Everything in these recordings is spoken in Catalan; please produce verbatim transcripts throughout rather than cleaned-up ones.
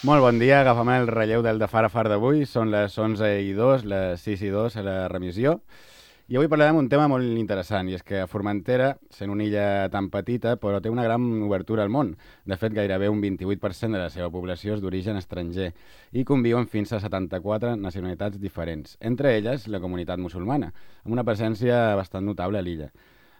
Molt bon dia, agafem el relleu del de Far a Far d'avui. Són les onze i dos, les sis i dos a la remissió. I avui parlarem d'un tema molt interessant, i és que Formentera, sent una illa tan petita, però té una gran obertura al món. De fet, gairebé un vint-i-vuit per cent de la seva població és d'origen estranger i conviuen fins a setanta-quatre nacionalitats diferents, entre elles la comunitat musulmana, amb una presència bastant notable a l'illa.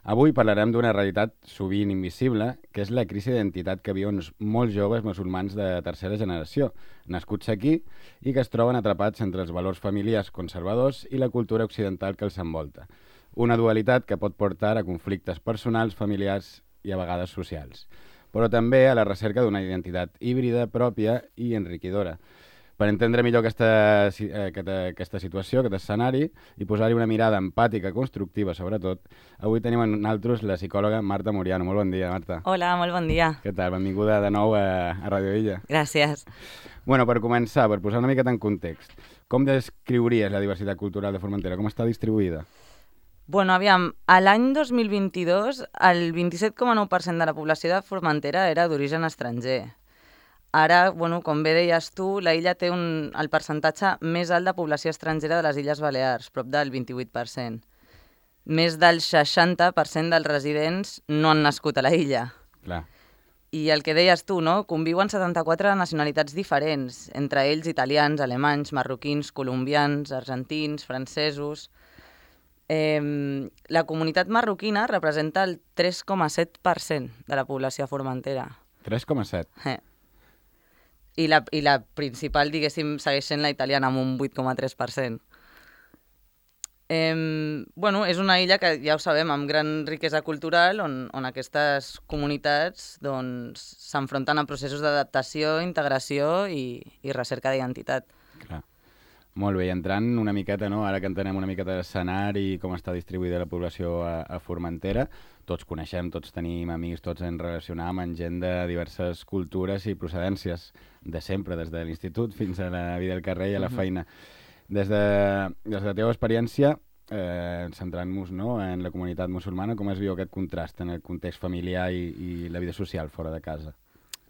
Avui parlarem d'una realitat sovint invisible, que és la crisi d'identitat que viuen molts joves musulmans de tercera generació, nascuts aquí i que es troben atrapats entre els valors familiars conservadors i la cultura occidental que els envolta. Una dualitat que pot portar a conflictes personals, familiars i a vegades socials, però també a la recerca d'una identitat híbrida pròpia i enriquidora. Per entendre millor aquesta, aquesta, aquesta situació, aquest escenari, i posar-hi una mirada empàtica, constructiva, sobretot, avui tenim amb nosaltres la psicòloga Marta Muriano. Molt bon dia, Marta. Hola, molt bon dia. Què tal? Benvinguda de nou a, a Radio Illa. Gràcies. Bueno, per començar, per posar una miqueta en context, com descriuries la diversitat cultural de Formentera? Com està distribuïda? Bueno, aviam, a l'any dos mil vint-i-dos, el vint-i-set coma nou per cent de la població de Formentera era d'origen estranger. Ara, bueno, com bé deies tu, la illa té un, el percentatge més alt de població estrangera de les Illes Balears, prop del vint-i-vuit per cent. Més del seixanta per cent dels residents no han nascut a la illa. Clar. I el que deies tu, no? Conviuen setanta-quatre nacionalitats diferents, entre ells italians, alemanys, marroquins, colombians, argentins, francesos. Eh, la comunitat marroquina representa el tres coma set per cent de la població a Formentera. tres coma set? Eh. I la, I la principal, diguéssim, segueix sent la italiana, amb un vuit coma tres per cent. Eh, bueno, és una illa que, ja ho sabem, amb gran riquesa cultural, on, on aquestes comunitats doncs, s'enfronten a processos d'adaptació, integració i, i recerca d'identitat. Clar. Molt bé, i entrant una miqueta, no? Ara que entenem una miqueta l'escenari i com està distribuïda la població a, a Formentera, tots coneixem, tots tenim amics, tots ens relacionam amb gent de diverses cultures i procedències, de sempre, des de l'institut fins a la vida del carrer i a la feina. Des de, des de la teva experiència, eh, centrant-nos, no, en la comunitat musulmana, com es viu aquest contrast en el context familiar i, i la vida social fora de casa?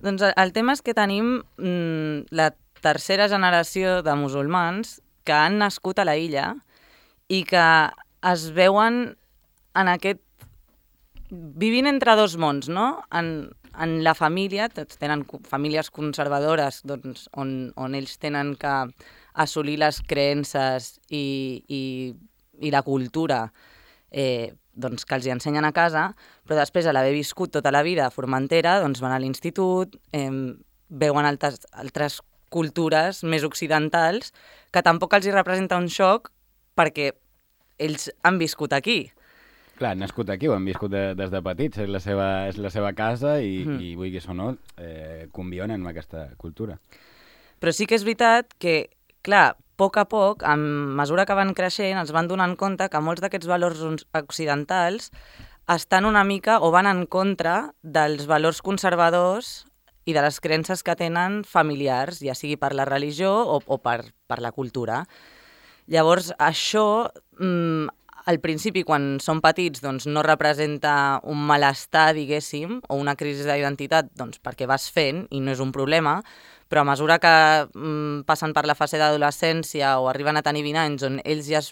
Doncs el, el tema és que tenim mm, la tercera generació de musulmans que han nascut a la illa i que es veuen en aquest... vivint entre dos mons, no? En, en la família, tots tenen famílies conservadores doncs, on, on ells tenen que assolir les creences i, i, i la cultura eh, doncs, que els hi ensenyen a casa, però després, a l'haver viscut tota la vida a Formentera, doncs van a l'institut, eh, veuen altres, altres cultures més occidentals, que tampoc els hi representa un xoc perquè ells han viscut aquí. Clar, han nascut aquí, ho han viscut de, des de petits, és la seva, és la seva casa i, mm. i vulguis o no, eh, conviuen amb aquesta cultura. Però sí que és veritat que, clar, a poc a poc, a mesura que van creixent, els van donant compte que molts d'aquests valors occidentals estan una mica o van en contra dels valors conservadors i de les creences que tenen familiars, ja sigui per la religió o, o per, per la cultura. Llavors, això, mmm, al principi, quan són petits, doncs, no representa un malestar, diguéssim, o una crisi d'identitat, doncs, perquè vas fent i no és un problema, però a mesura que mmm, passen per la fase d'adolescència o arriben a tenir vint anys, on ells ja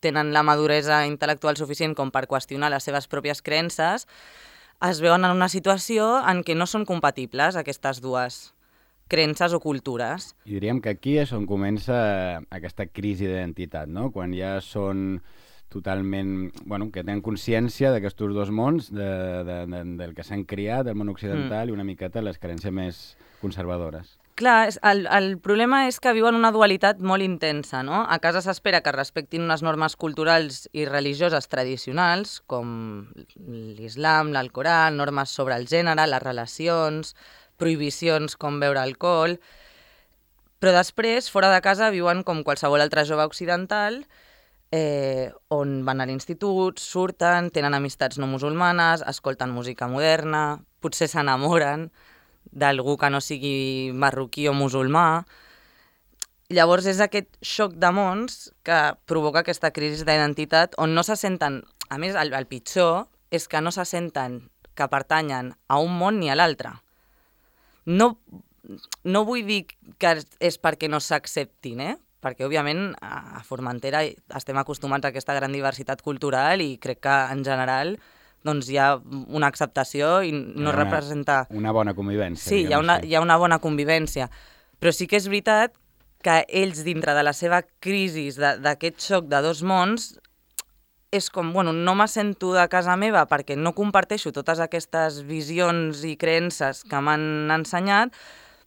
tenen la maduresa intel·lectual suficient com per qüestionar les seves pròpies creences, es veuen en una situació en què no són compatibles aquestes dues creences o cultures. I diríem que aquí és on comença aquesta crisi d'identitat, no? Quan ja són totalment... Bueno, que tenen consciència d'aquests dos mons, de, de, de, del que s'han criat, del món occidental, mm. i una miqueta les creences més conservadores. Clar, el, el problema és que viuen una dualitat molt intensa, no? A casa s'espera que respectin unes normes culturals i religioses tradicionals, com l'islam, l'Alcorà, normes sobre el gènere, les relacions, prohibicions com beure alcohol, però després, fora de casa, viuen com qualsevol altre jove occidental, eh, on van a l'institut, surten, tenen amistats no musulmanes, escolten música moderna, potser s'enamoren d'algú que no sigui marroquí o musulmà. Llavors és aquest xoc de mons que provoca aquesta crisi d'identitat on no se senten, a més el, el pitjor és que no se senten que pertanyen a un món ni a l'altre. No, no vull dir que és perquè no s'acceptin, eh? Perquè, òbviament, a Formentera estem acostumats a aquesta gran diversitat cultural i crec que, en general, doncs hi ha una acceptació i no una, representa... Una bona convivència. Sí, hi ha una, hi ha una bona convivència. Però sí que és veritat que ells, dintre de la seva crisi d'aquest xoc de dos mons, és com, bueno, no me sento de casa meva perquè no comparteixo totes aquestes visions i creences que m'han ensenyat,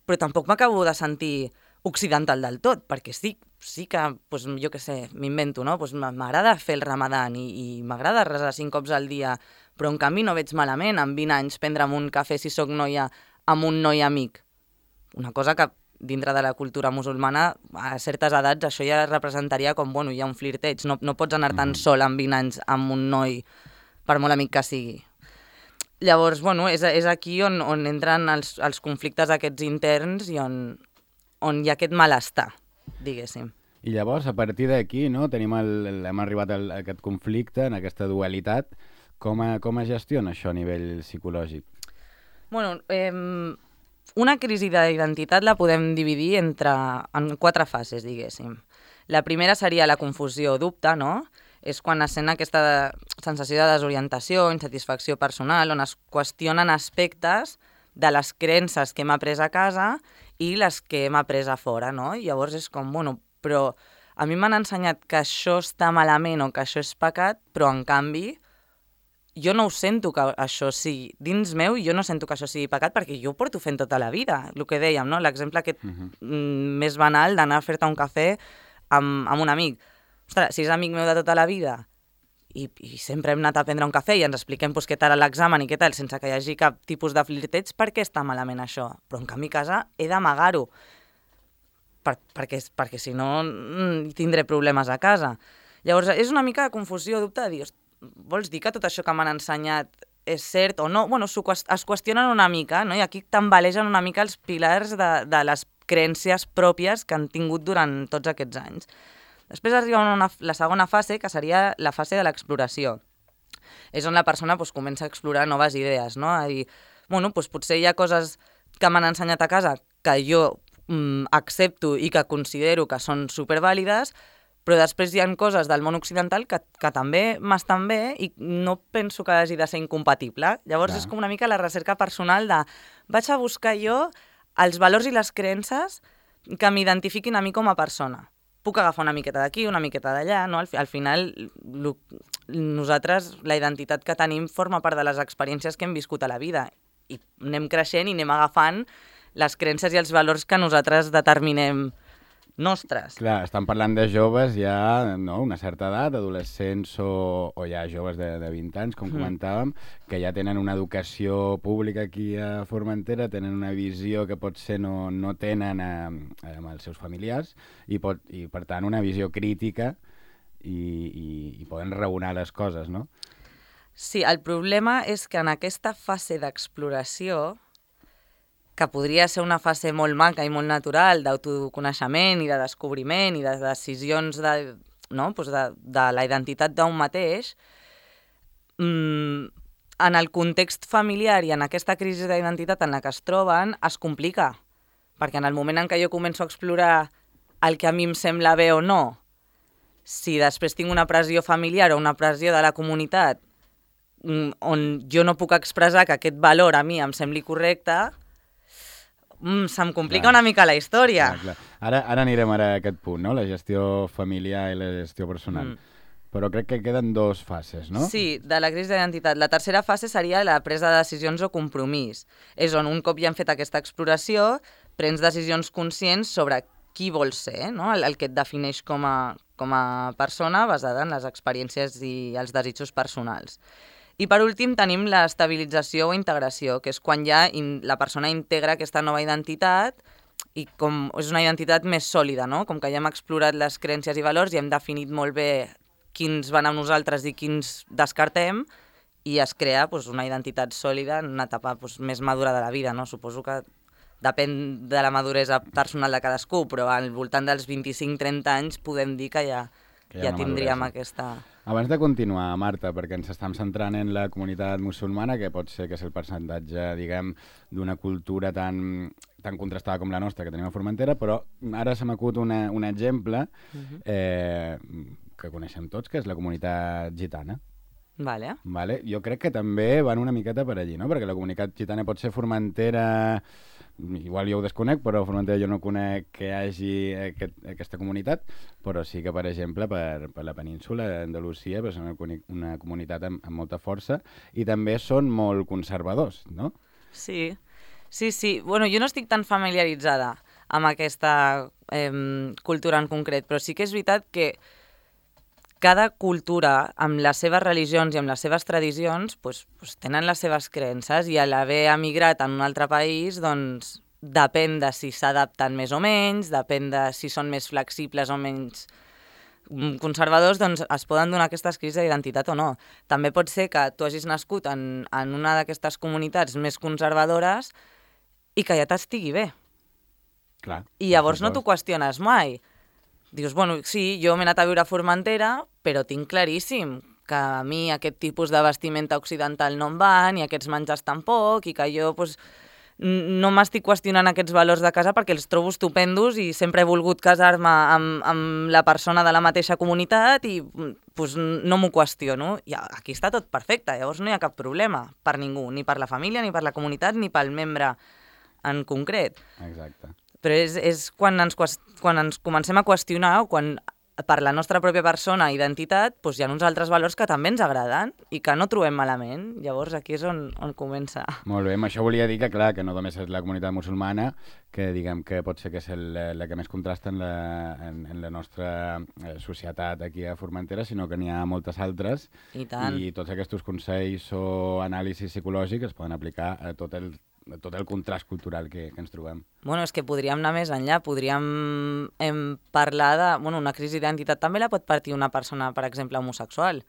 però tampoc m'acabo de sentir occidental del tot, perquè sí, sí que, doncs, jo què sé, m'invento, no? Doncs m'agrada fer el ramadan i, i m'agrada resar cinc cops al dia, però en canvi no veig malament amb vint anys prendre'm un cafè si sóc noia amb un noi amic. Una cosa que dintre de la cultura musulmana, a certes edats, això ja representaria com, bueno, hi ha un flirteig, no, no pots anar tan sol amb vint anys amb un noi, per molt amic que sigui. Llavors, bueno, és, és aquí on, on entren els, els conflictes aquests interns i on, on hi ha aquest malestar, diguéssim. I llavors, a partir d'aquí, no, tenim el, hem arribat a aquest conflicte, en aquesta dualitat. Com, a, com es gestiona això a nivell psicològic? Bueno, eh, una crisi d'identitat la podem dividir entre, en quatre fases, diguéssim. La primera seria la confusió o dubte, no? És quan es sent aquesta sensació de desorientació, insatisfacció personal, on es qüestionen aspectes de les creences que hem après a casa i les que hem après a fora, no? I llavors és com, bueno, però a mi m'han ensenyat que això està malament o que això és pecat, però en canvi jo no ho sento que això sigui, dins meu jo no sento que això sigui pecat perquè jo ho porto fent tota la vida, el que dèiem, no? L'exemple aquest uh-huh. més banal d'anar a fer-te un cafè amb, amb un amic. Ostres, si és amic meu de tota la vida i, i sempre hem anat a prendre un cafè i ens expliquem pues, què tal l'examen i què tal, sense que hi hagi cap tipus de flirteig, per què està malament això? Però en canvi a casa he d'amagar-ho, per, perquè, perquè si no tindré problemes a casa. Llavors és una mica de confusió, dubte de dir, vols dir que tot això que m'han ensenyat és cert o no? Bueno, es qüestionen una mica, no? I aquí tambalegen una mica els pilars de, de les creences pròpies que han tingut durant tots aquests anys. Després arriba una, la segona fase, que seria la fase de l'exploració. És on la persona pues, comença a explorar noves idees, no? A dir, bueno, pues, potser hi ha coses que m'han ensenyat a casa que jo mm, accepto i que considero que són supervàlides, però després hi ha coses del món occidental que, que també m'estan bé i no penso que hagi de ser incompatible. Llavors Clar. És com una mica la recerca personal de vaig a buscar jo els valors i les creences que m'identifiquin a mi com a persona. Puc agafar una miqueta d'aquí, una miqueta d'allà, no? Al, al final, lo, nosaltres, la identitat que tenim forma part de les experiències que hem viscut a la vida i anem creixent i anem agafant les creences i els valors que nosaltres determinem nostres. Clar, estan parlant de joves ja, no?, una certa edat, adolescents o, o ja joves de, de vint anys, com mm. comentàvem, que ja tenen una educació pública aquí a Formentera, tenen una visió que potser no, no tenen a, a, amb els seus familiars i, pot, i, per tant, una visió crítica i, i, i poden raonar les coses, no? Sí, el problema és que en aquesta fase d'exploració, que podria ser una fase molt maca i molt natural d'autoconeixement i de descobriment i de decisions de, no? pues de, de la identitat d'un mateix, mmm, en el context familiar i en aquesta crisi d'identitat en la que es troben, es complica. Perquè en el moment en què jo començo a explorar el que a mi em sembla bé o no, si després tinc una pressió familiar o una pressió de la comunitat on jo no puc expressar que aquest valor a mi em sembli correcte, Mm, se'm complica clar. Una mica la història. Clar, clar. Ara, ara anirem ara a aquest punt, no? La gestió familiar i la gestió personal. Mm. Però crec que queden dos fases, no? Sí, de la crisi d'identitat. La tercera fase seria la presa de decisions o compromís. És on un cop ja hem fet aquesta exploració, prens decisions conscients sobre qui vols ser, no? el, el que et defineix com a, com a persona basada en les experiències i els desitjos personals. I per últim tenim l'estabilització o integració, que és quan ja in, la persona integra aquesta nova identitat i com és una identitat més sòlida, no? Com que ja hem explorat les creences i valors i hem definit molt bé quins van amb nosaltres i quins descartem i es crea pues, una identitat sòlida en una etapa pues, més madura de la vida, no? Suposo que depèn de la maduresa personal de cadascú, però al voltant dels vint-i-cinc trenta anys podem dir que ja, que ja, ja tindríem maduresa. aquesta... Abans de continuar, Marta, perquè ens estem centrant en la comunitat musulmana, que pot ser que és el percentatge, diguem, d'una cultura tan, tan contrastada com la nostra que tenim a Formentera, però ara se m'acut una, un exemple Uh-huh. eh, que coneixem tots, que és la comunitat gitana. Vale. Vale? Jo crec que també van una miqueta per allí, no? Perquè la comunitat gitana pot ser Formentera, igual jo ho desconec, però a Formentera jo no conec que hi hagi aquest, aquesta comunitat, però sí que, per exemple, per, per la península d'Andalusia és una, una comunitat amb, amb molta força i també són molt conservadors, no? Sí, sí, sí. Bueno, jo no estic tan familiaritzada amb aquesta eh, cultura en concret, però sí que és veritat que cada cultura, amb les seves religions i amb les seves tradicions, pues, pues tenen les seves creences i a l'haver emigrat en un altre país, doncs depèn de si s'adapten més o menys, depèn de si són més flexibles o menys conservadors, doncs es poden donar aquestes crisis d'identitat o no. També pot ser que tu hagis nascut en, en una d'aquestes comunitats més conservadores i que ja t'estigui bé. Clar. I llavors no t'ho qüestiones mai. Dius, bueno, sí, jo m'he anat a viure a Formentera, però tinc claríssim que a mi aquest tipus de vestimenta occidental no em va, ni aquests menjars tampoc, i que jo pues, no m'estic qüestionant aquests valors de casa perquè els trobo estupendos i sempre he volgut casar-me amb, amb la persona de la mateixa comunitat i pues, no m'ho qüestiono. I aquí està tot perfecte, llavors no hi ha cap problema per ningú, ni per la família, ni per la comunitat, ni pel membre en concret. Exacte. Però és, és quan, ens, quan ens comencem a qüestionar o quan per la nostra pròpia persona, identitat, doncs hi ha uns altres valors que també ens agraden i que no trobem malament. Llavors aquí és on, on comença. Molt bé, amb això volia dir que, clar, que no només és la comunitat musulmana, que diguem que pot ser que és el, la que més contrasta en la, en, en la nostra societat aquí a Formentera, sinó que n'hi ha moltes altres. I tant. I tots aquests consells o anàlisis psicològics es poden aplicar a tot el tot el contrast cultural que, que ens trobem. Bueno, és que podríem anar més enllà, podríem em, parlar de... Bueno, una crisi d'identitat també la pot partir una persona, per exemple, homosexual,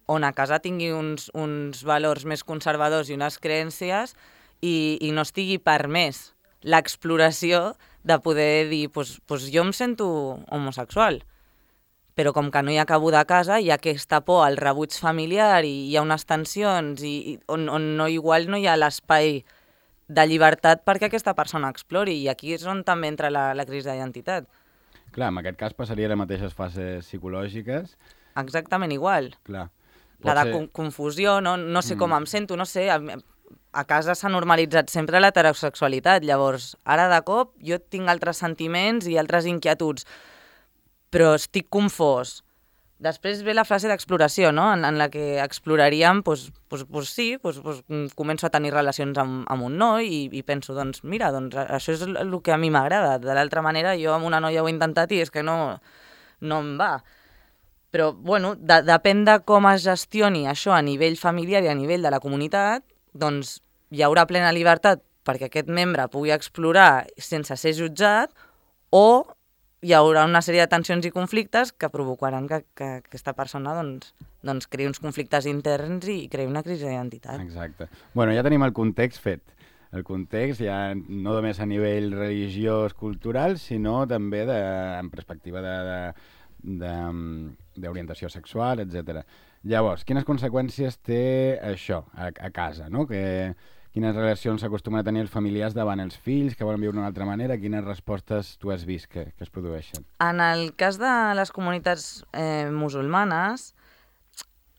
on a casa tingui uns, uns valors més conservadors i unes creences i, i no estigui permès l'exploració de poder dir, pues, pues jo em sento homosexual, però com que no hi ha cabuda a casa, hi ha aquesta por al rebuig familiar i hi ha unes tensions i, i on, on no, igual no hi ha l'espai de llibertat perquè aquesta persona explori, i aquí és on també entra la, la crisi d'identitat. Clar, en aquest cas passaria les mateixes fases psicològiques. Exactament igual. Clar. La de ser... confusió, no, no sé mm. com em sento, no sé, a, a casa s'ha normalitzat sempre l'heterosexualitat, llavors ara de cop jo tinc altres sentiments i altres inquietuds, però estic confós. Després ve la fase d'exploració, no? en, en la que exploraríem, doncs, doncs, doncs sí, doncs, doncs, començo a tenir relacions amb, amb un noi i, i penso, doncs mira, doncs, això és el, el que a mi m'agrada. De l'altra manera, jo amb una noia ho he intentat i és que no, no em va. Però, bueno, de, depèn de com es gestioni això a nivell familiar i a nivell de la comunitat, doncs hi haurà plena llibertat perquè aquest membre pugui explorar sense ser jutjat, o hi haurà una sèrie de tensions i conflictes que provocaran que, que aquesta persona doncs, doncs creï uns conflictes interns i creï una crisi d'identitat. Exacte. Bueno, ja tenim el context fet. El context ja no només a nivell religiós, cultural, sinó també de, en perspectiva d'orientació sexual, etcètera. Llavors, quines conseqüències té això a, a casa, no? Que... Quines relacions s'acostumen a tenir els familiars davant els fills, que volen viure d'una altra manera? Quines respostes tu has vist que, que es produeixen? En el cas de les comunitats eh, musulmanes,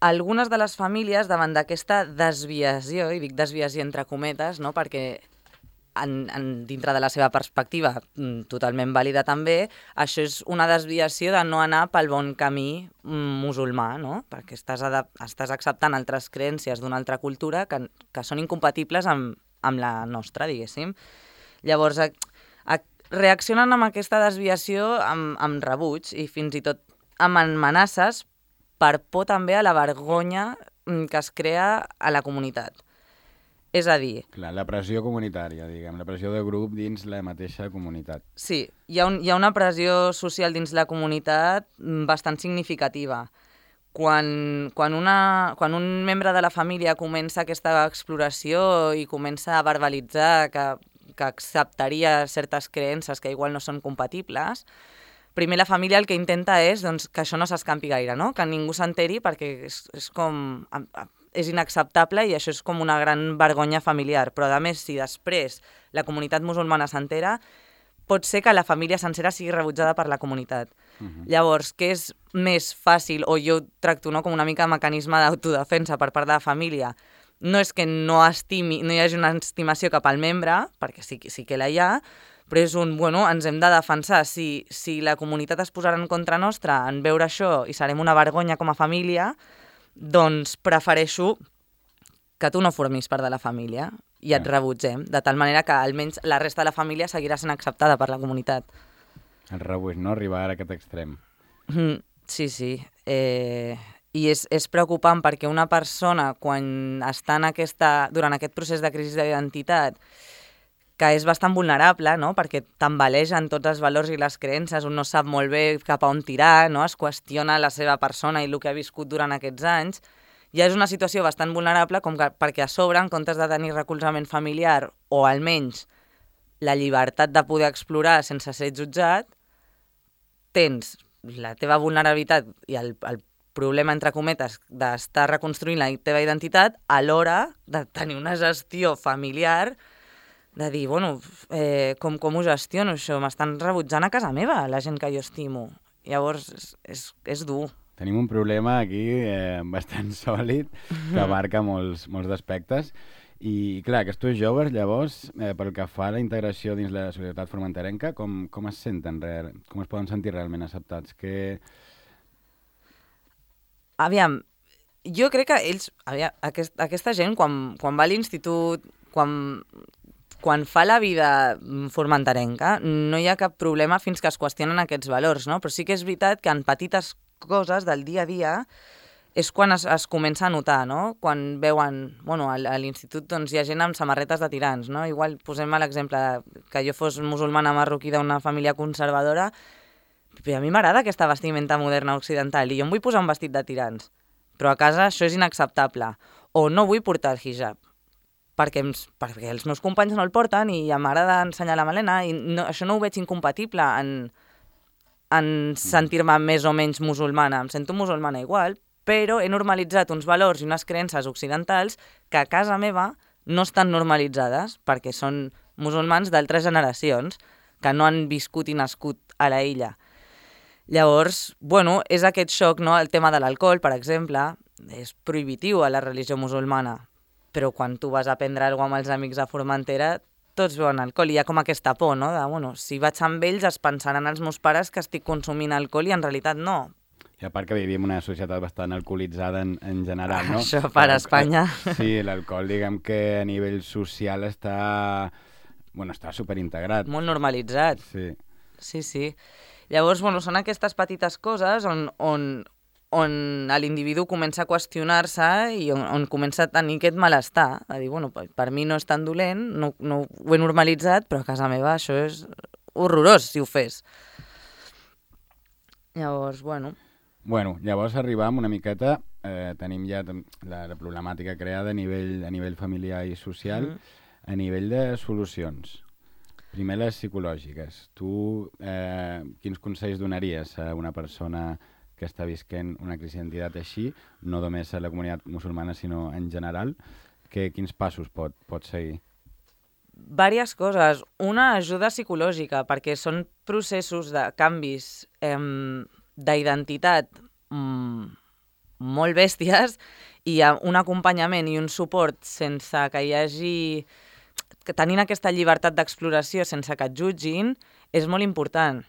algunes de les famílies, davant d'aquesta desviació, i dic desviació entre cometes, no? perquè en, en, dintre de la seva perspectiva, totalment vàlida també, això és una desviació de no anar pel bon camí musulmà, no? Perquè estàs, estàs acceptant altres creences d'una altra cultura que, que són incompatibles amb, amb la nostra, diguéssim. Llavors, a, a, reaccionen amb aquesta desviació amb, amb rebuig i fins i tot amb amenaces per por també a la vergonya que es crea a la comunitat. És a dir... Clar, la pressió comunitària, diguem, la pressió de grup dins la mateixa comunitat. Sí, hi ha, un, hi ha una pressió social dins la comunitat bastant significativa. Quan, quan, una, quan un membre de la família comença aquesta exploració i comença a verbalitzar que, que acceptaria certes creences que igual no són compatibles, primer la família el que intenta és doncs, que això no s'escampi gaire, no? Que ningú s'enteri perquè és, és com... és inacceptable i això és com una gran vergonya familiar. Però, a més, si després la comunitat musulmana s'entera, pot ser que la família sencera sigui rebutjada per la comunitat. Uh-huh. Llavors, què és més fàcil, o jo tracto no, com una mica mecanisme d'autodefensa per part de la família, no és que no estimi, no hi hagi una estimació cap al membre, perquè sí, sí que la hi ha, però és un, bueno, ens hem de defensar. Si, si la comunitat es posarà en contra nostra en veure això i serem una vergonya com a família, doncs prefereixo que tu no formis part de la família i et rebutgem, de tal manera que almenys la resta de la família seguirà sent acceptada per la comunitat. El rebuig, no? Arribar a aquest extrem. Mm, sí, sí. Eh, I és, és preocupant perquè una persona, quan està en aquesta, durant aquest procés de crisi d'identitat, que és bastant vulnerable, no? Perquè tambalegen tots els valors i les creences, un no sap molt bé cap a on tirar, no? Es qüestiona la seva persona i el que ha viscut durant aquests anys, ja és una situació bastant vulnerable com que, perquè a sobre, en comptes de tenir recolzament familiar o almenys la llibertat de poder explorar sense ser jutjat, tens la teva vulnerabilitat i el, el problema, entre cometes, d'estar reconstruint la teva identitat a l'hora de tenir una gestió familiar de dir, bueno, eh, com, com ho gestiono això? M'estan rebutjant a casa meva, la gent que jo estimo. Llavors, és, és, és dur. Tenim un problema aquí eh, bastant sòlid que abarca molts, molts aspectes. I, clar, aquests joves, llavors, eh, pel que fa a la integració dins la societat formenterenca, com, com es senten, re... com es poden sentir realment acceptats? Que... Aviam, jo crec que ells, aviam, aquest, aquesta gent, quan, quan va a l'institut, quan, quan fa la vida formenterenca, no hi ha cap problema fins que es qüestionen aquests valors, no? Però sí que és veritat que en petites coses del dia a dia és quan es, es comença a notar, no? Quan veuen, bueno, a, a l'institut doncs, hi ha gent amb samarretes de tirants, no? Igual posem l'exemple que jo fos musulmana marroquí d'una família conservadora, però a mi m'agrada aquesta vestimenta moderna occidental i jo em vull posar un vestit de tirants, però a casa això és inacceptable. O no vull portar el hijab, perquè, em, perquè els meus companys no el porten i m'agrada ensenyar la melena i no, això no ho veig incompatible en, en sentir-me més o menys musulmana. Em sento musulmana igual, però he normalitzat uns valors i unes creences occidentals que a casa meva no estan normalitzades perquè són musulmans d'altres generacions que no han viscut i nascut a la illa. Llavors, bueno, és aquest xoc, no? El tema de l'alcohol, per exemple, és prohibitiu a la religió musulmana, però quan tu vas a prendre alguna cosa amb els amics a Formentera, tots beuen alcohol i hi ha com aquesta por, no? De, bueno, si vaig amb ells es pensaran els meus pares que estic consumint alcohol i en realitat no. I a part que vivim una societat bastant alcoholitzada en, en general, no? Això per a Espanya. Sí, l'alcohol, diguem que a nivell social està, bueno, està superintegrat. Molt normalitzat. Sí. Sí, sí. Llavors, bueno, són aquestes petites coses on, on, on l'individu comença a qüestionar-se i on, on comença a tenir aquest malestar. A dir, bueno, per mi no és tan dolent, no, no ho he normalitzat, però a casa meva això és horrorós si ho fes. Llavors, bueno... Bueno, llavors arribam una miqueta, eh, tenim ja la, la problemàtica creada a nivell, a nivell familiar i social, mm. a nivell de solucions. Primer les psicològiques. Tu eh, quins consells donaries a una persona que està visquent una crisi d'identitat així, no només a la comunitat musulmana, sinó en general? Que, quins passos pot, pot seguir? Vàries coses. Una, ajuda psicològica, perquè són processos de canvis eh, d'identitat mm, molt bèsties i un acompanyament i un suport sense que hi hagi... que tenint aquesta llibertat d'exploració sense que et jutgin és molt important,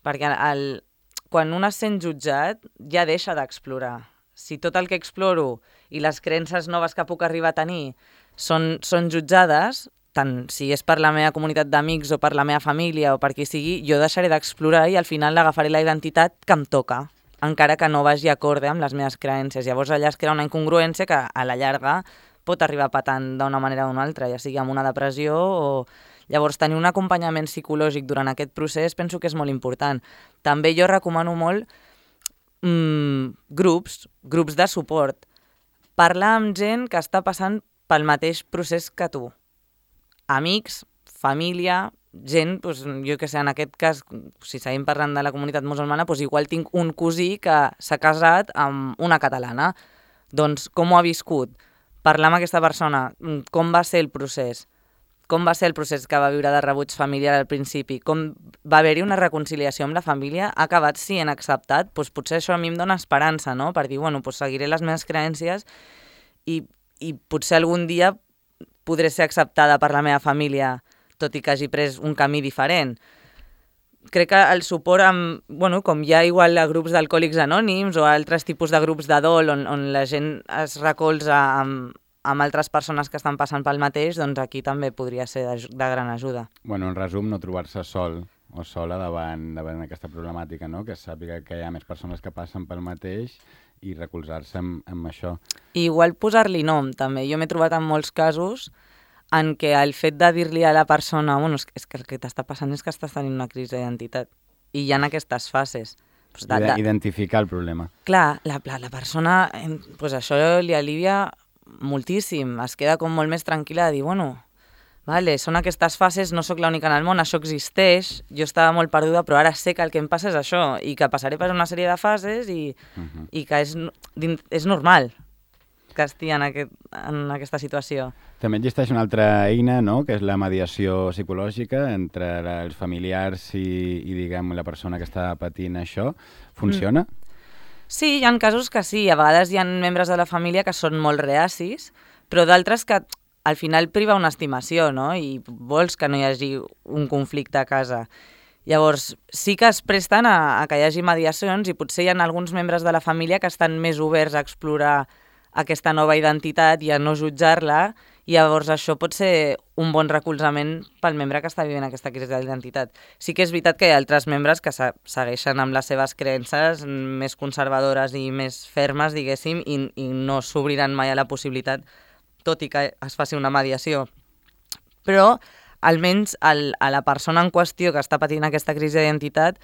perquè el, quan un es sent jutjat ja deixa d'explorar. Si tot el que exploro i les creences noves que puc arribar a tenir són, són jutjades, tant si és per la meva comunitat d'amics o per la meva família o per qui sigui, jo deixaré d'explorar i al final agafaré la identitat que em toca, encara que no vagi acorde amb les meves creences. Llavors allà es crea una incongruència que a la llarga pot arribar patant d'una manera o d'una altra, ja sigui amb una depressió o... Llavors, tenir un acompanyament psicològic durant aquest procés penso que és molt important. També jo recomano molt mmm, grups, grups de suport. Parlar amb gent que està passant pel mateix procés que tu. Amics, família, gent, doncs, jo que sé, en aquest cas, si seguim parlant de la comunitat musulmana, doncs igual tinc un cosí que s'ha casat amb una catalana. Doncs com ho ha viscut? Parlar amb aquesta persona, com va ser el procés? Com va ser el procés que va viure de rebuig familiar al principi? Com va haver-hi una reconciliació amb la família? Ha acabat sent acceptat? Doncs potser això a mi em dona esperança, no? Per dir, bueno, doncs seguiré les meves creences i, i potser algun dia podré ser acceptada per la meva família, tot i que hagi pres un camí diferent. Crec que el suport, amb, bueno, com hi ha igual a grups d'alcohòlics anònims o altres tipus de grups de dol on, on la gent es recolza amb, amb altres persones que estan passant pel mateix, doncs aquí també podria ser de, de gran ajuda. Bueno, en resum, no trobar-se sol o sola davant, davant aquesta problemàtica, no? Que sàpiga que hi ha més persones que passen pel mateix i recolzar-se amb, amb això. I igual posar-li nom, també. Jo m'he trobat en molts casos en què el fet de dir-li a la persona bueno, és, és que el que t'està passant és que estàs tenint una crisi d'identitat. I hi ha aquestes fases. Pues de, de... Identificar el problema. Clar, la, la, la persona, pues això li alivia moltíssim. Es queda com molt més tranquil·la de dir, bueno, vale, són aquestes fases, no sóc l'única en el món, això existeix, jo estava molt perduda, però ara sé que el que em passa és això, i que passaré per una sèrie de fases i, uh-huh. i que és, és normal que estigui en, aquest, en aquesta situació. També existeix una altra eina, no?, que és la mediació psicològica entre els familiars i, i diguem, la persona que està patint això. Funciona? Mm. Sí, hi ha casos que sí. A vegades hi ha membres de la família que són molt reacis, però d'altres que al final priva una estimació, no?, i vols que no hi hagi un conflicte a casa. Llavors, sí que es presten a, a que hi hagi mediacions i potser hi ha alguns membres de la família que estan més oberts a explorar aquesta nova identitat i a no jutjar-la, i llavors això pot ser un bon recolzament pel membre que està vivint aquesta crisi d'identitat. Sí que és veritat que hi ha altres membres que segueixen amb les seves creences més conservadores i més fermes, diguéssim, i, i no s'obriran mai a la possibilitat, tot i que es faci una mediació. Però, almenys, el, a la persona en qüestió que està patint aquesta crisi d'identitat,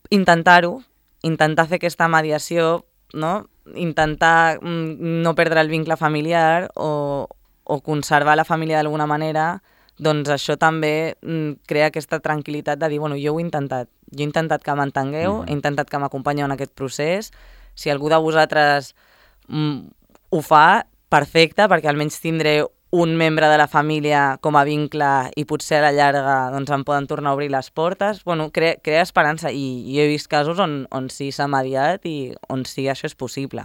intentar-ho, intentar fer aquesta mediació, no?, intentar no perdre el vincle familiar o, o conservar la família d'alguna manera, doncs això també crea aquesta tranquil·litat de dir, bueno, jo ho he intentat, jo he intentat que m'entengueu, mm-hmm. he intentat que m'acompanyeu en aquest procés, si algú de vosaltres mm, ho fa, perfecte, perquè almenys tindré un membre de la família com a vincle i potser a la llarga doncs, em poden tornar a obrir les portes. Bueno, crea, crea esperança i, i he vist casos on, on sí s'ha mediat i on sí això és possible.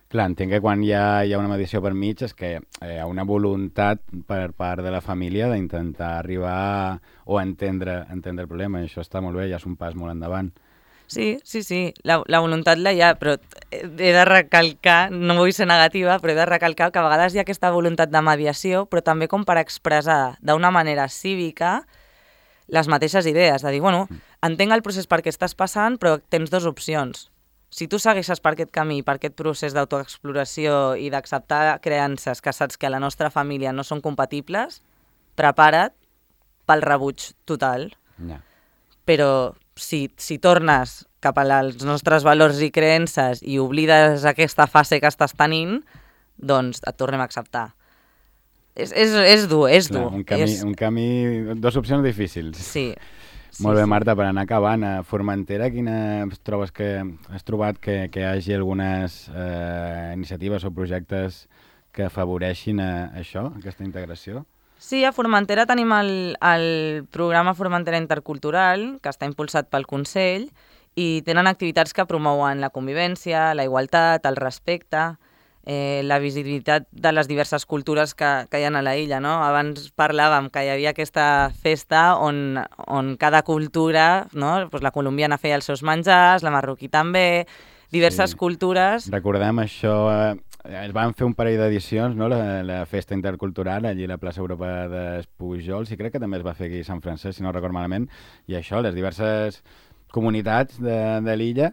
Clar, entenc que quan hi ha, hi ha una mediació per mig és que hi ha una voluntat per part de la família d'intentar arribar o entendre, entendre el problema, i això està molt bé, ja és un pas molt endavant. Sí, sí, sí, la, la voluntat la hi ha, però he de recalcar, no vull ser negativa, però he de recalcar que a vegades hi ha aquesta voluntat de mediació, però també com per expressar d'una manera cívica les mateixes idees, de dir, bueno, entenc el procés per què estàs passant, però tens dues opcions. Si tu segueixes per aquest camí, per aquest procés d'autoexploració i d'acceptar creences que saps que a la nostra família no són compatibles, prepara't pel rebuig total. Yeah. Però si, si tornes cap als nostres valors i creences i oblides aquesta fase que estàs tenint, doncs et tornem a acceptar. És, és, és dur, és dur. Clar, un camí, és... un camí, dues opcions difícils. Sí. sí Molt bé, sí. Marta, per anar acabant, a Formentera, quina trobes que has trobat que, que hi hagi algunes eh, iniciatives o projectes que afavoreixin a, a això, aquesta integració? Sí, a Formentera tenim el, el programa Formentera Intercultural, que està impulsat pel Consell, i tenen activitats que promouen la convivència, la igualtat, el respecte, eh, la visibilitat de les diverses cultures que, que hi ha a la illa, no? Abans parlàvem que hi havia aquesta festa on, on cada cultura, no? Pues la colombiana feia els seus menjars, la marroquí també, diverses sí. cultures... Recordem això... Eh... Es van fer un parell d'edicions, no? la, la festa intercultural, allí a la plaça Europa d'Espujols, i crec que també es va fer aquí a Sant Francesc, si no recordo malament, i això, les diverses comunitats de, de l'illa,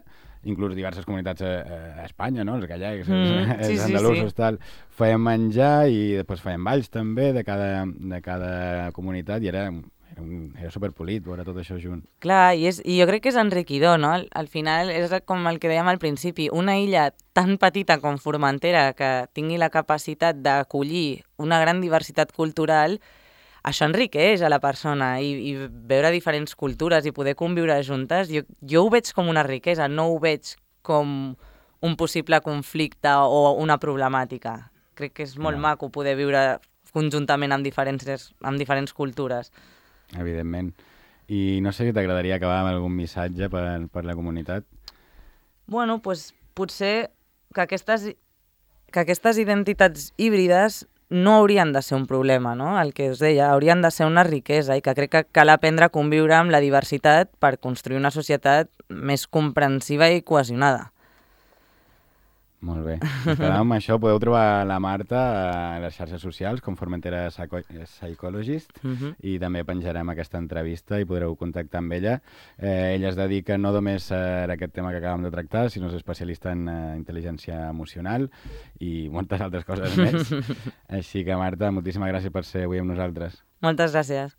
inclús diverses comunitats a, a Espanya, no? Els gallecs, mm, els, sí, els andalusos, sí, sí. tal, feien menjar i després feien balls també de cada, de cada comunitat, i era... Era, un, era superpolit veure tot això junt. Clar, i, és, i jo crec que és enriquidor, no? Al, al final és com el que dèiem al principi, una illa tan petita com Formentera que tingui la capacitat d'acollir una gran diversitat cultural, això enriqueix a la persona i, i veure diferents cultures i poder conviure juntes, jo, jo ho veig com una riquesa, no ho veig com un possible conflicte o una problemàtica. Crec que és molt Clar. maco poder viure conjuntament amb diferents, amb diferents cultures. Evidentment. I no sé si t'agradaria acabar amb algun missatge per, per la comunitat. Bueno, doncs potser que aquestes, que aquestes identitats híbrides no haurien de ser un problema, no? El que us deia, haurien de ser una riquesa i que crec que cal aprendre a conviure amb la diversitat per construir una societat més comprensiva i cohesionada. Molt bé. Ens quedem amb això. Podeu trobar la Marta a les xarxes socials com Formentera Psycho Psychologist Uh-huh. i també penjarem aquesta entrevista i podreu contactar amb ella. Eh, ella es dedica no només a aquest tema que acabem de tractar, sinó és especialista en eh, intel·ligència emocional i moltes altres coses més. Així que, Marta, moltíssimes gràcies per ser avui amb nosaltres. Moltes gràcies.